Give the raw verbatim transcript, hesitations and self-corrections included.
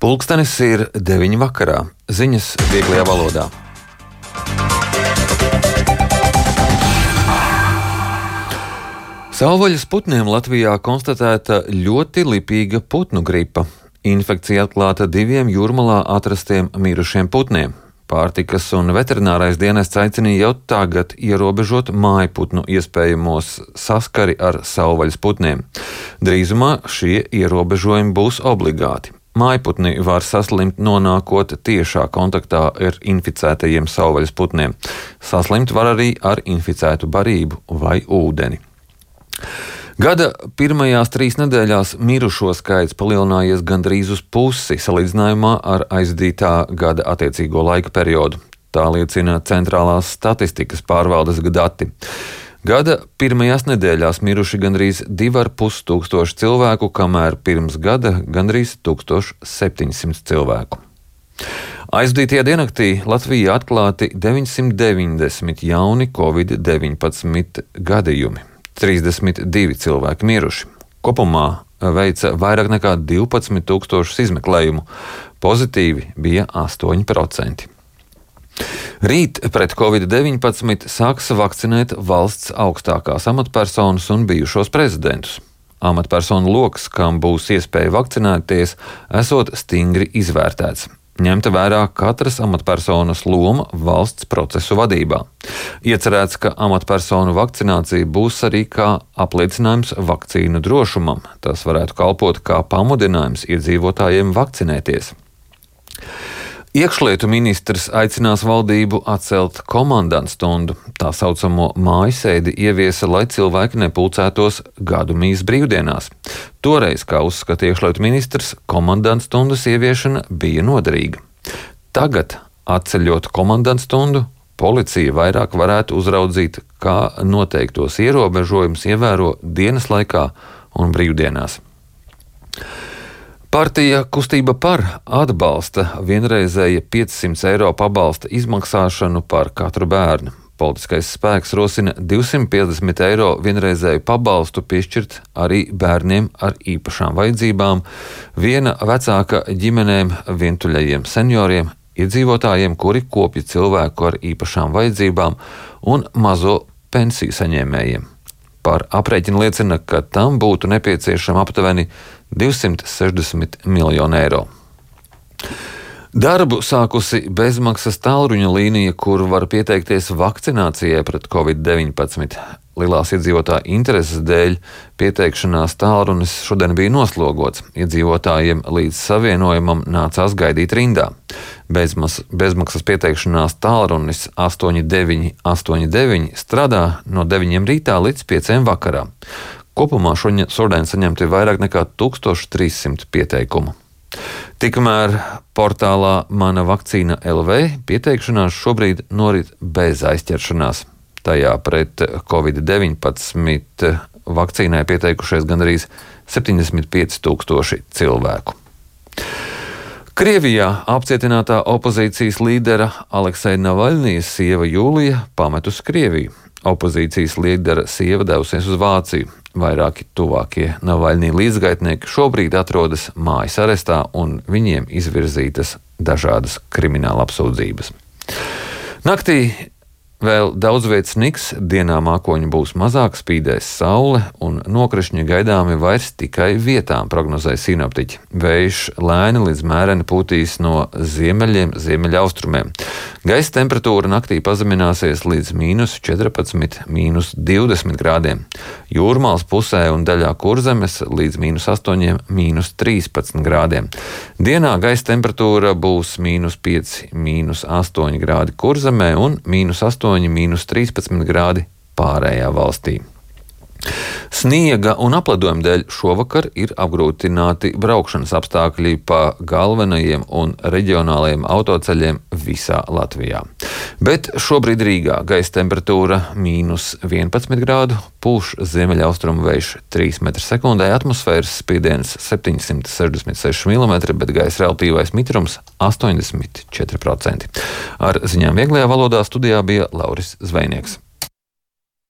Pulkstenis ir deviņi vakarā. Ziņas vieglajā valodā. Savvaļas putniem Latvijā konstatēta ļoti lipīga putnu gripa. Infekcija atklāta diviem Jūrmalā atrastiem mirušiem putniem. Pārtikas un veterinārais dienests aicina jau tagad ierobežot mājputnu iespējamos saskari ar savvaļas putniem. Drīzumā šie ierobežojumi būs obligāti. Mājputni var saslimt nonākot tiešā kontaktā ar inficētajiem savvaļas putniem. Saslimt var arī ar inficētu barību vai ūdeni. Gada pirmajās trīs nedēļās mirušo skaits palielinājies gandrīz uz pusi salīdzinājumā ar aizdītā gada attiecīgo laika periodu. Tā liecina Centrālās statistikas pārvaldes dati. Gada pirmajās nedēļās miruši gandrīz divi ar pus tūkstoši cilvēku, kamēr pirms gada gandrīz tūkstoš septiņsimt cilvēku. Aizdītajā diennaktī Latvijā atklāti deviņsimt deviņdesmit jauni covid deviņpadsmit gadījumi. trīsdesmit divi cilvēki miruši. Kopumā veica vairāk nekā divpadsmit tūkstošus izmeklējumu. Pozitīvi bija astoņi procenti. Rīt pret covid deviņpadsmit sāks vakcinēt valsts augstākās amatpersonas un bijušos prezidentus. Amatpersonu loks, kam būs iespēja vakcinēties, esot stingri izvērtēts. Ņemta vērā katras amatpersonas loma valsts procesu vadībā. Iecerēts, ka amatpersonu vakcinācija būs arī kā apliecinājums vakcīnu drošumam. Tas varētu kalpot kā pamudinājums iedzīvotājiem vakcinēties. Iekšlietu ministrs aicinās valdību atcelt komandantstundu. Tā saucamo mājasēdi ieviesa, lai cilvēki nepulcētos gadu mīs brīvdienās. Toreiz, kā uzskata iekšlietu ministrs, komandantstundas ieviešana bija noderīga. Tagad, atceļot komandantstundu, policija vairāk varētu uzraudzīt, kā noteiktos ierobežojumus ievēro dienas laikā un brīvdienās. Partija Kustība par atbalsta vienreizēja piecsimt eiro pabalsta izmaksāšanu par katru bērnu. Politiskais spēks rosina divsimt piecdesmit eiro vienreizēju pabalstu piešķirt arī bērniem ar īpašām vajadzībām, viena vecāka ģimenēm, vientuļajiem senioriem, iedzīvotājiem, kuri kopja cilvēku ar īpašām vajadzībām un mazo pensiju saņēmējiem. Par aprēķinu liecina, ka tam būtu nepieciešama aptuveni divsimt sešdesmit miljoni eiro. Darbu sākusi bezmaksas tālruņa līnija, kur var pieteikties vakcinācijai pret covid deviņpadsmit. Lielās iedzīvotāju intereses dēļ pieteikšanās tālrunis šodien bija noslogots. Iedzīvotājiem līdz savienojumam nācās gaidīt rindā. Bezmas, bezmaksas pieteikšanās tālrunis astoņi deviņi astoņi deviņi strādā no deviņiem rītā līdz pieciem vakarā. Kopumā šodien saņemti vairāk nekā tūkstoš trīssimt pieteikumu. Tikmēr portālā Mana vakcīna L V pieteikšanās šobrīd norit bez aizķeršanās. Tajā pret covid deviņpadsmit vakcīnai pieteikušies gandrīz septiņdesmit pieci tūkstoši cilvēku. Krievijā apcietinātā opozīcijas līdera Alekseja Navaļnijas sieva Jūlija pametusi Krieviju. Opozīcijas līdera sieva devusies uz Vāciju. Vairāki tuvākie Navaļnija līdzgaitnieki šobrīd atrodas mājas arestā un viņiem izvirzītas dažādas krimināla apsūdzības. Naktī vēl daudz vietas sniks, dienā mākoņi būs mazāk, spīdēs saule un nokrišņi gaidāmi vairs tikai vietām, prognozē sinoptiķi. Vējš lēni līdz mēreni pūtīs no ziemeļiem, ziemeļaustrumiem. Gaisa temperatūra naktī pazemināsies līdz mīnus četrpadsmit, mīnus divdesmit grādiem. Jūrmālas pusē un daļā Kurzemes līdz mīnus astoņi, mīnus trīspadsmit grādiem. Dienā gaisa temperatūra būs mīnus pieci, mīnus astoņi grādi Kurzemē un mīnus astoņi, mīnus trīspadsmit grādi pārējā valstī. Sniega un apledojuma dēļ šovakar ir apgrūtināti braukšanas apstākļi pa galvenajiem un reģionālajiem autoceļiem visā Latvijā. Bet šobrīd Rīgā gaisa temperatūra mīnus vienpadsmit grādu, pūš ziemeļaustrumu vējš trīs metri sekundē, atmosfēras spiediens septiņsimt sešdesmit seši milimetri, bet gaisa relatīvais mitrums astoņdesmit četri procenti. Ar ziņām vieglajā valodā studijā bija Lauris Zvejnieks.